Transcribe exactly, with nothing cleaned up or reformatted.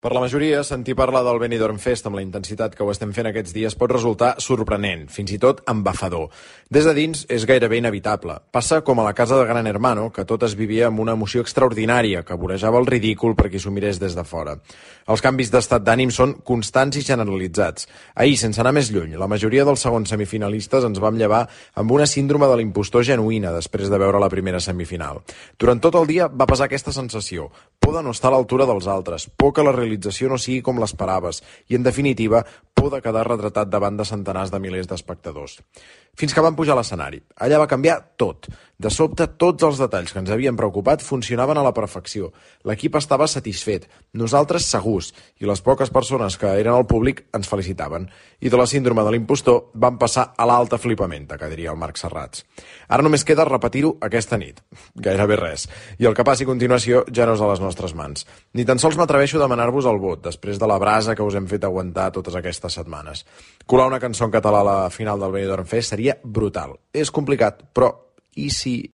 Per la majoria, sentir parlar del Benidorm Fest amb la intensitat que ho estem fent aquests dies pot resultar sorprenent, fins i tot embafador. Des de dins és gairebé inevitable. Passa com a la casa de Gran Hermano, que tot es vivia amb una emoció extraordinària que vorejava el ridícul per qui s'ho mirés des de fora. Els canvis d'estat d'ànim són constants i generalitzats. Ahir, sense anar més lluny, la majoria dels segons semifinalistes ens vam llevar amb una síndrome de l'impostor genuïna després de veure la primera semifinal. Durant tot el dia va pesar aquesta sensació, por de no estar a l'altura dels altres, por que la realització no sigui com l'esperaves i, en definitiva, por de quedar retratat davant de centenars de milers d'espectadors. Fins que van pujar a l'escenari. Allà va canviar tot. De sobte, tots els detalls que ens havien preocupat funcionaven a la perfecció. L'equip estava satisfet, nosaltres segurs, i les poques persones que eren al públic ens felicitaven. I de la síndrome de l'impostor van passar a l'alta flipamenta, que diria el Marc Serrats. Ara només queda repetir-ho aquesta nit. Gairebé res. I el que passi a continuació ja no és a les nostres mans. Ni tan sols m'atreveixo a demanar-vos el vot, després de la brasa que us hem fet aguantar totes aquestes setmanes. Colar una cançó en català a la final del Benidorm Fest seria brutal. És complicat, però i si